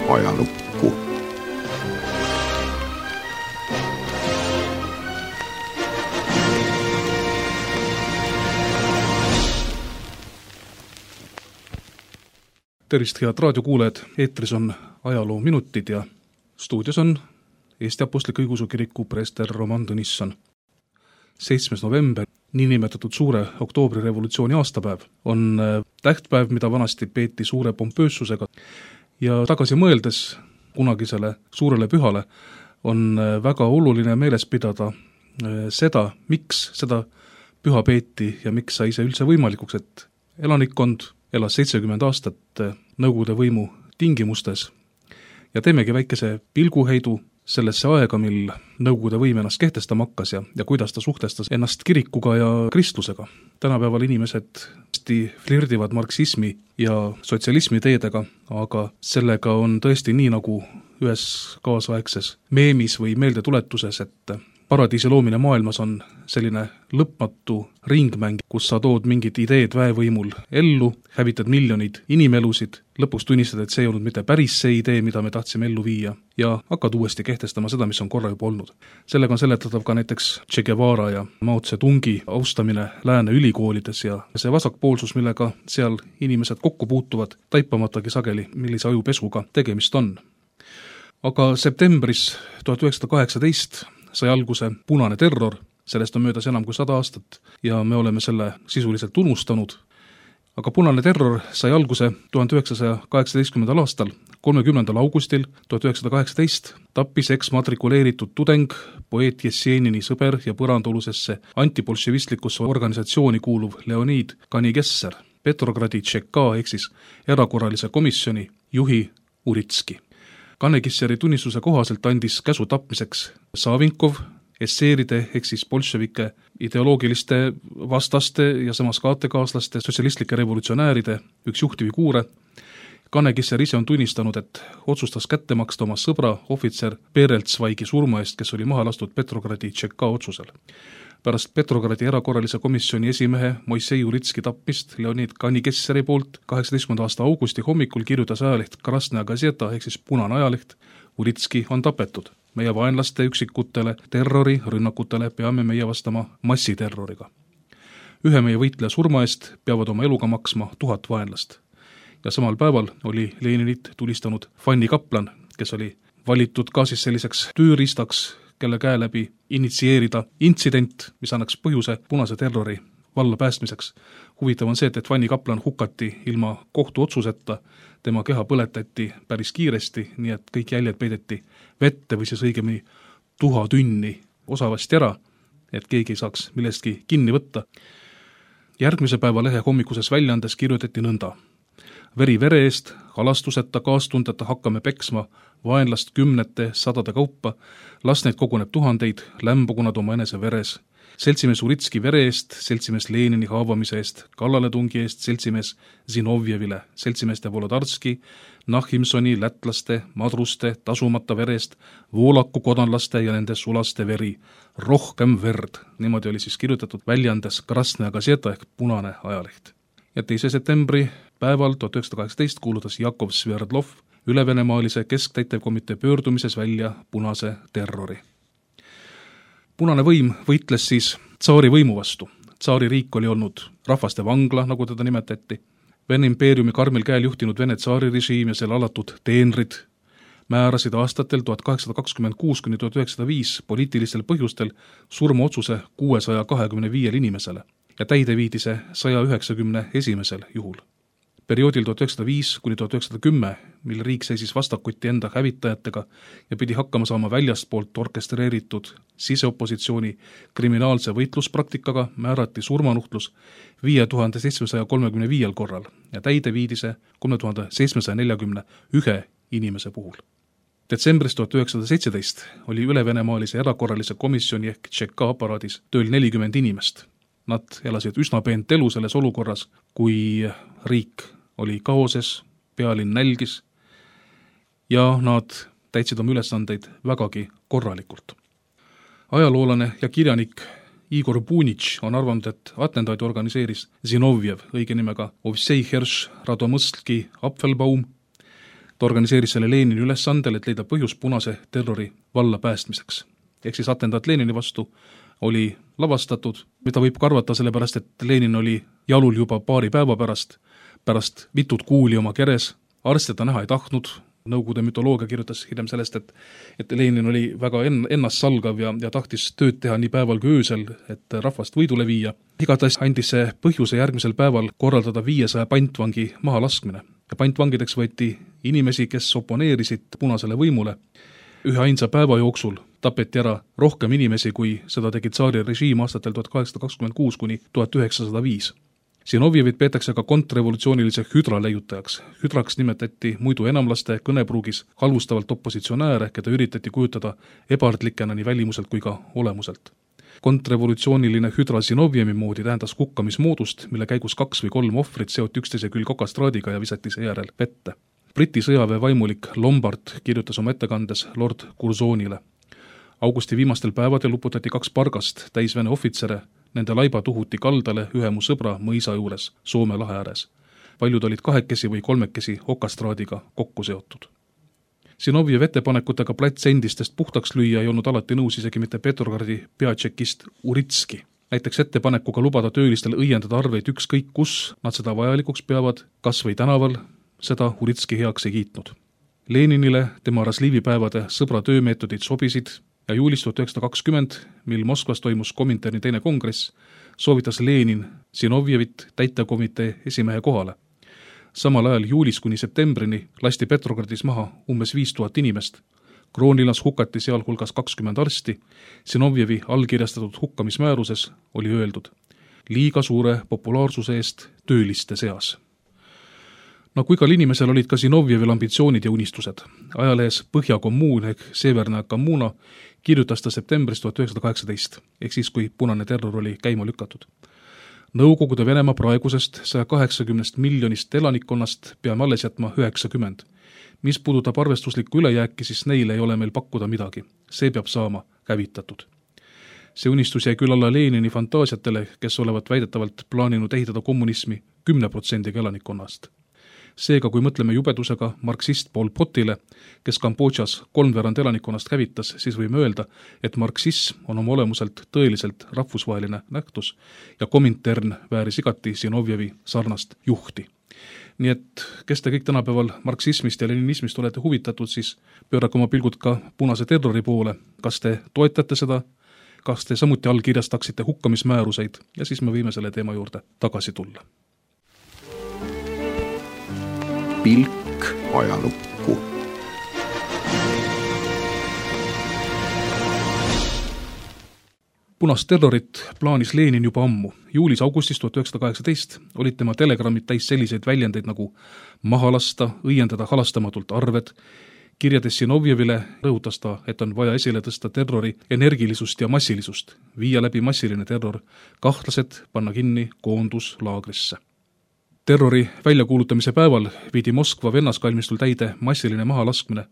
ajalukku. Tervist, head raadiokuulajad, eetris on ajaloo minutid ja stuudios on Eesti Apostlik-Õigeusu Kiriku preester Roman Tõnisson. 7. november, niinimetatud suure oktoobrirevolutsiooni aastapäev, on tähtpäev, mida vanasti peeti suure pompöössusega ja tagasi mõeldes kunagisele suurele pühale on väga oluline meeles pidada seda, miks seda püha peeti ja miks sai see üldse võimalikuks, et elanikkond elas 70 aastat Nõukogude võimu tingimustes ja teemegi väikese pilguheidu sellesse aega, mil Nõukogude võim ennast kehtestama hakkas ja kuidas ta suhtestas ennast kirikuga ja kristlusega. Tänapäeval inimesed flirdivad marksismi ja sotsialismi teedega, aga sellega on tõesti nii nagu ühes kaasaegses meemis või meeldetuletuses, et paradiisi loomine maailmas on selline lõpmatu ringmäng, kus sa tood mingid ideed väevõimul ellu, hävitad miljonid inimelusid, lõpuks tunnistad, et see ei olnud mitte päris see idee, mida me tahtsime ellu viia ja hakkad uuesti kehtestama seda, mis on korra juba olnud. Sellega on seletatav ka näiteks Che Guevara ja Mao Zedongi austamine lääne ülikoolides ja see vasakpoolsus, millega seal inimesed kokku puutuvad, taipamatagi sageli, millise ajupesuga tegemist on. Aga septembris 1918 sai alguse punane terror, sellest on möödas enam kui 100 aastat ja me oleme selle sisuliselt unustanud. Aga punane terror sai alguse 1918. aastal, 30. augustil 1918 tappis eksmatrikuleeritud tudeng, poeet Jessenini sõber ja põrandolusesse antibolševistlikusse organisatsiooni kuuluv Leonid Kanigesser, Petrogradi ČK ehk siis erakorralise komisjoni juhi Uritski. Kanegisseri tunnistuse kohaselt andis käsu tapmiseks Savinkov, esseeride ehk siis bolševike ideoloogiliste vastaste ja samas kaatekaaslaste sotsialistlike revolutsionääride üks juhtivikuure. Kanegisser ise on tunnistanud, et otsustas kätte maksta oma sõbra ohvitser Pereltsvaigi surma eest, kes oli maha lastud Petrogradi ČK otsusel. Pärast Petrogradi erakorralise komisjoni esimehe Moissei Uritski tapmist Leonid Kanigesseri poolt 18. aasta augusti hommikul kirjutas ajaleht Krasnaja Gazeta ehk siis punane ajaleht, Uritski on tapetud. Meie vaenlaste üksikutele terrorirünnakutele peame meie vastama massiterroriga. Ühe meie võitleja surma eest peavad oma eluga maksma 1000 vaenlast. Ja samal päeval oli Leninit tulistanud Fanny Kaplan, kes oli valitud ka siis selliseks tööriistaks, kelle käe läbi initsieerida intsident, mis annaks põhjuse punase terrori valla päästmiseks. Huvitav on see, et Fanny Kaplan hukati ilma kohtuotsuseta, tema keha põletati päris kiiresti, nii et kõik jäljed peideti vette või siis õigemini tuhatünni osavasti ära, et keegi ei saaks millestki kinni võtta. Järgmise päeva lehe hommikuses väljaandes kirjutati nõnda. Veri vere eest, halastuseta, kaastundeta hakkame peksma vaenlast 10, 100 kaupa, las neid koguneb 1000, lämbugu nad oma enese veres. Seltsimees Uritski vere eest, seltsimees Lenini haavamise eest, kallaletungi eest, seltsimees Zinovjevile, seltsimeeste Volodarski, Nahimsoni, lätlaste, madruste, tasumata verest, Voolaku kodanlaste ja nende sulaste veri. Rohkem verd. Niimoodi oli siis kirjutatud väljaandes Krasnaja Gazeta ehk punane ajaleht. Ja 2. septembri päeval 1918 kuulutas Jakov Sverdlov ülevenemaalise kesktäitevkomitee pöördumises välja punase terrori. Punane võim võitles siis tsaari võimu vastu. Tsaari riik oli olnud rahvaste vangla, nagu teda nimetati. Vene impeeriumi karmil käel juhtinud Vene tsaari režiim ja selle alatud teenrid määrasid aastatel 1826–1905 poliitilistel põhjustel surmaotsuse 625 inimesele ja täide viidi see 191 juhul. Perioodil 1905–1910, mil riik seisis vastakuti enda hävitajatega ja pidi hakkama saama väljastpoolt orkestreeritud siseopositsiooni kriminaalse võitluspraktikaga, määrati surmanuhtlus 5735 korral ja täide viidi see 3741 inimese puhul. Detsembris 1917 oli ülevenemaalise erakorralise komisjoni ehk ČK aparaadis tööl 40 inimest. Nad elasid üsna peent elu selles olukorras, kui riik oli kaoses, pealinn nälgis ja nad täitsid oma ülesandeid vägagi korralikult. Ajaloolane ja kirjanik Igor Bunitš on arvanud, et atentaadi organiseeris Zinovjev, õige nimega Ovsei Herš Radomõstki Apfelbaum, Ta organiseeris selle Lenini ülesandel, et leida põhjus punase terrori valla päästmiseks. Ehk siis atendaat Lenini vastu oli lavastatud, mida võib karvata sellepärast, et Lenin oli jalul juba paari päeva pärast mitut kuuli oma keres, arste ta näha ei tahtnud, Nõukogude mütoloogia kirjutas hiljem sellest, et Lenin oli väga ennast salgav ja tahtis tööd teha nii päeval kui öösel, et rahvast võidule viia. Igatahes andis see põhjuse järgmisel päeval korraldada 500 pantvangi mahalaskmine. Ja pantvangideks võeti inimesi, kes oponeerisid punasele võimule. Ühe ainsa päeva jooksul tapeti ära rohkem inimesi, kui seda tegi tsaari režiim aastatel 1826 kuni 1905. Zinovjevit peetakse ka kontrrevolutsioonilise hüdra leiutajaks. Hüdraks nimetati muidu enamlaste kõnepruugis halvustavalt opositsionääre, keda üritati kujutada ebardlikena nii välimuselt kui ka olemuselt. Kontrrevolutsiooniline hüdra Zinovjevi moodi tähendas hukkamismoodust, mille käigus 2 või 3 ohvrit seoti üksteise külg okastraadiga ja visati seejärel vette. Briti sõjaväe vaimulik Lombard kirjutas oma ettekandes Lord Curzonile. Augusti viimastel päevadel uputati 2 pargast täis Vene ohvitsere, nende laiba tuhuti kaldale ühe mu sõbra mõisa juures Soome lahe ääres. Paljud olid 2 või 3 okastraadiga kokku seotud. Zinovjev ettepanekutega plats endistest puhtaks lüüa ei olnud alati nõus isegi mitte Petrogradi peatšekist Uritski. Näiteks ettepanekuga lubada töölistel õiendada arveid ükskõik kus nad seda vajalikuks peavad, kas või tänaval, seda Uritski heaks ei kiitnud. Leninile tema rasliivipäevade sõbra töömeetodid sobisid ja juulis 1920, mil Moskvas toimus Kominterni teine kongress, soovitas Lenin Zinovjevit täitekomitee esimehe kohale. Samal ajal juulis kuni septembrini lasti Petrogradis maha umbes 5000 inimest. Kroonilas hukati sealhulgas 20 arsti. Zinovjevi allkirjastatud hukkamismääruses oli öeldud liiga suure populaarsuse eest tööliste seas. Nagu igal inimesel olid ka Zinovjevil ambitsioonid ja unistused. Ajalehes Põhja kommuun ehk Severna Kommuna kirjutas ta septembris 1918, ehk siis kui punane terror oli käima lükatud. Nõukogude Venemaa praegusest 180 miljonist elanikkonnast peame alles jätma 90. Mis puudutab arvestuslikku ülejääki, siis neile ei ole meil pakkuda midagi. See peab saama kävitatud. See unistus jäi küll alla Lenini fantaasiatele, kes olevat väidetavalt plaaninud ehitada kommunismi 10% elanikkonnast. Seega, kui mõtleme jubedusega marksist Pol Potile, kes Kambodžas 3/4 elanikkonnast hävitas, siis võime öelda, et marksism on oma olemuselt tõeliselt rahvusvaheline nähtus ja Komintern vääris igati Zinovjevi sarnast juhti. Nii et kes te kõik tänapäeval marksismist ja leninismist olete huvitatud, siis pöörake oma pilgud ka punase terrori poole. Kas te toetate seda? Kas te samuti allkirjastaksite hukkamismääruseid? Ja siis me võime selle teema juurde tagasi tulla. Pilk ajalukku. Punast terrorit plaanis Lenin juba ammu. Juulis-augustis 1918 olid tema telegrammid täis selliseid väljendeid nagu maha lasta, õiendada halastamatult arved. Kirjades Zinovjevile rõhutas ta, et on vaja esile tõsta terrori energilisust ja massilisust, viia läbi massiline terror, kahtlased panna kinni koonduslaagrisse. Terrori väljakuulutamise päeval viidi Moskva vennaskalmistul täide massiline mahalaskmine,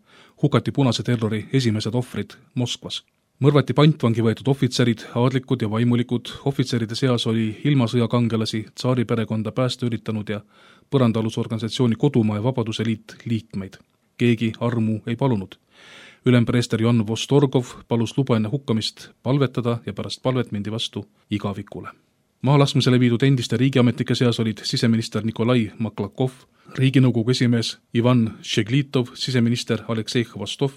hukati punase terrori esimesed ohvrid Moskvas. Mõrvati pantvangi võetud ohvitserid, aadlikud ja vaimulikud, ohvitseride seas oli ilmasõjakangelasi, tsaari perekonda päästa üritanud ja põrandaalusorganisatsiooni Kodumaa ja Vabaduse Liit liikmeid. Keegi armu ei palunud. Ülempreester Jan Vostorgov palus luba enne hukkamist palvetada ja pärast palvet mindi vastu igavikule. Mahalaskmisele viidud endiste riigiametnike seas olid siseminister Nikolai Maklakov, riiginõukogu esimees Ivan Šeglitov, siseminister Aleksei Hvostov.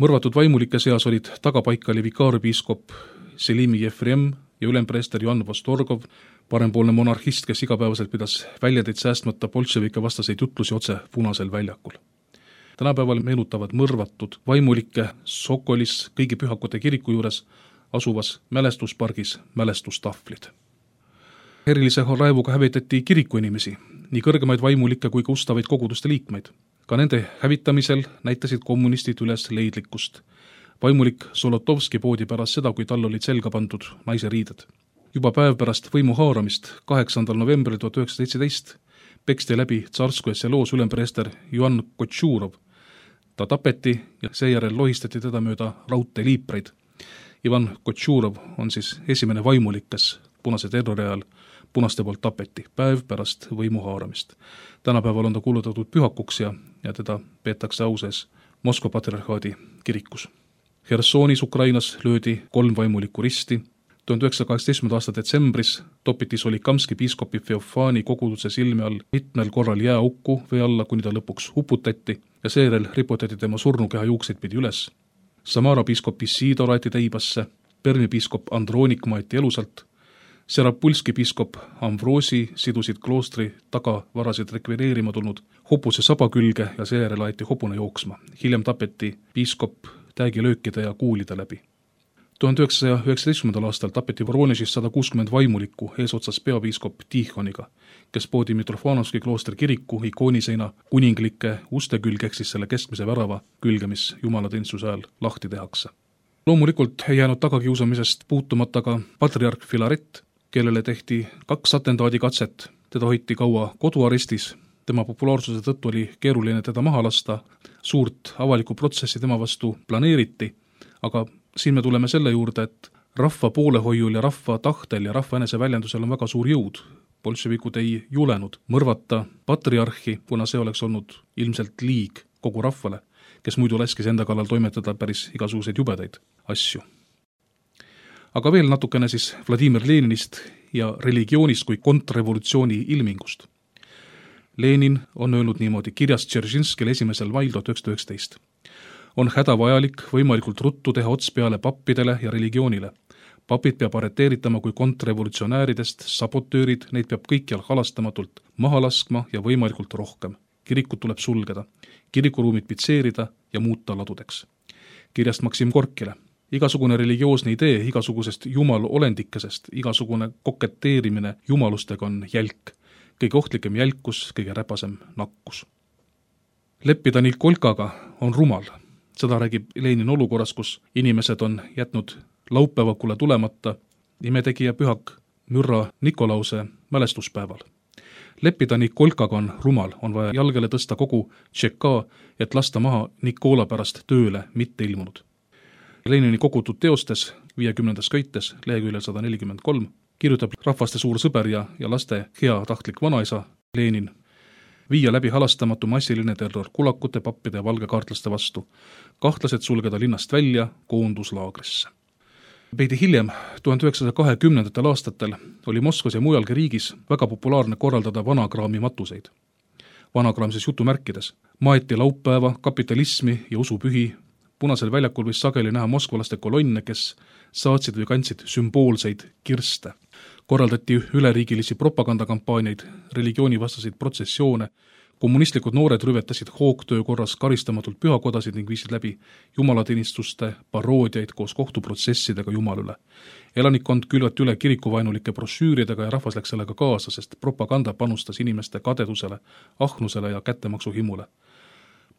Mõrvatud vaimulike seas olid tagapaikali vikaarpiiskop Selimi Jefrem ja ülempreester Jan Vostorgov, parempoolne monarhist, kes igapäevaselt pidas väljendeid säästmata bolševike vastaseid jutlusi otse Punasel väljakul. Tänapäeval meenutavad mõrvatud vaimulikke Sokolis kõigi pühakute kiriku juures asuvas mälestuspargis mälestustahvlid. Erilise raevuga hävitati kirikuinimesi, nii kõrgemaid vaimulikke kui ka ustavaid koguduste liikmeid. Ka nende hävitamisel näitasid kommunistid üles leidlikkust. Vaimulik Solotovski poodi pärast seda, kui tal olid selga pandud naise riided. Juba päev pärast võimu haaramist, 8. novembril 1917, peksti läbi Tsarskoje seloos ülempreester Joan Kotšurov. Ta tapeti ja seejärel lohistati teda mööda raudteeliipreid. Ivan Kotšurov on siis esimene vaimulik, kes punase terrori ajal punaste poolt tapeti, päev pärast võimu haaramist. Tänapäeval on ta kuulutatud pühakuks ja teda peetakse au sees Moskva patriarhaadi kirikus. Hersonis Ukrainas löödi 3 vaimulikku risti. 1918. aasta detsembris topiti Solikamski piiskopi Feofani koguduse silme all mitmel korral jääaukku vee alla, kuni ta lõpuks uputati ja seejärel riputati tema surnukeha juukseid pidi üles. Samara piiskop Isidor aeti teibasse, Permi piiskop Andronik maeti elusalt, Serapulski piiskop Ambrosi sidusid kloostri taga varasid rekvireerima tulnud hobuse saba külge ja seejärel aeti hobune jooksma. Hiljem tapeti piiskop täägilöökide ja kuulide läbi. 1919. aastal tapeti Voronežis 160 vaimulikku eesotsas peapiiskop Tihoniga, kes poodi Mitrofanovski kloostri kiriku ikooniseina kuninglike uste külge ehk siis selle keskmise värava külge, mis jumalateenistuse ajal lahti tehakse. Loomulikult ei jäänud tagakiusamisest puutumata ka patriarh Filaret, kellele tehti 2 atentaadikatset. Teda hoiti kaua koduarestis, tema populaarsuse tõttu oli keeruline teda maha lasta, suurt avalikku protsessi tema vastu planeeriti, aga siin me tuleme selle juurde, et rahva poolehoiul ja rahva tahtel ja rahva eneseväljendusel on väga suur jõud. Bolševikud ei julenud mõrvata patriarhi, kuna see oleks olnud ilmselt liig kogu rahvale, kes muidu laskis enda kallal toimetada päris igasuguseid jubedaid asju. Aga veel natukene siis Vladimir Leninist ja religioonist kui kontrrevolutsiooni ilmingust. Lenin on öelnud niimoodi kirjas Dzeržinskile 1. mail 1919. On hädavajalik võimalikult ruttu teha ots peale pappidele ja religioonile. Papid peab arreteeritama kui kontrrevolutsionääridest sabotöörid, neid peab kõikjal halastamatult maha laskma ja võimalikult rohkem. Kirikud tuleb sulgeda, kirikuruumid pitseerida ja muuta ladudeks. Kirjast Maksim Gorkile. Igasugune religioosne idee igasugusest jumal olendikesest, igasugune koketteerimine jumalustega on jälk. Kõige ohtlikem jälkus, kõige räpasem nakkus. Leppida Nikolkaga on rumal. Seda räägib Lenin olukorras, kus inimesed on jätnud laupäevakule tulemata imetegija pühak Mürra Nikolause mälestuspäeval. Leppida Nikolkaga on rumal, on vaja jalgele tõsta kogu Tšeka, et lasta maha Nikola pärast tööle mitte ilmunud. Lenini kogutud teostes 50. köites leheküljel 143 kirjutab rahvaste suur sõber ja laste hea tahtlik vanaisa Lenin viia läbi halastamatu massiline terror kulakute, pappide ja valgekaartlaste vastu. Kahtlased sulgeda linnast välja koonduslaagrisse. Veidi hiljem, 1920. aastatel oli Moskvas ja mujalgi riigis väga populaarne korraldada vanakraami matuseid. Vanakraam siis jutumärkides. Maeti laupäeva, kapitalismi ja usupühi. Punasel väljakul võis sageli näha moskvalaste kolonne, kes saatsid või kandsid sümboolseid kirste. Korraldati üleriigilisi propagandakampaaniaid, religioonivastaseid protsessioone, kommunistlikud noored rüvetasid hoogtöö korras karistamatult pühakodasid ning viisid läbi jumalateenistuste paroodiaid koos kohtuprotsessidega Jumal üle. Elanikkond külvati üle kirikuvainulike brošüüridega ja rahvas läks sellega kaasa, sest propaganda panustas inimeste kadedusele, ahnusele ja kättemaksuhimule.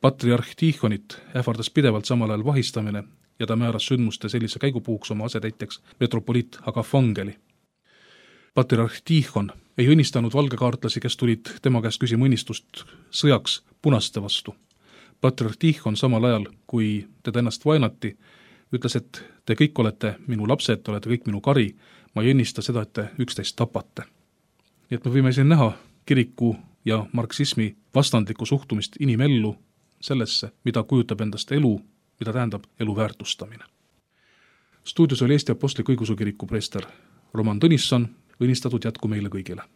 Patriarh Tihonit ähvardas pidevalt samal ajal vahistamine ja ta määras sündmuste sellise käigupuhuks oma asetäitjaks metropoliit Agafangeli. Patriarh Tihon ei õnnistanud valgekaartlasi, kes tulid tema käest küsima õnnistust sõjaks punaste vastu. Patriarh Tihon samal ajal, kui teda ennast vaenati, ütles, et te kõik olete minu lapsed, te olete kõik minu kari, ma ei õnnista seda, et te üksteist tapate. Nii et me võime siin näha kiriku ja marksismi vastandlikku suhtumist inimellu sellesse, mida kujutab endast elu, mida tähendab elu väärtustamine. Stuudios oli Eesti Apostliku Õigeusu Kiriku preester Roman Tõnisson, õnnistatud jätku meile kõigile.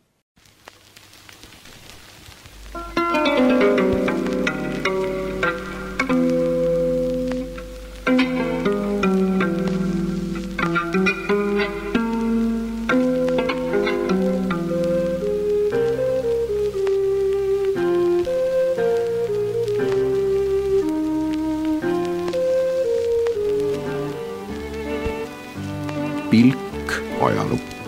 Pilk ajalukku.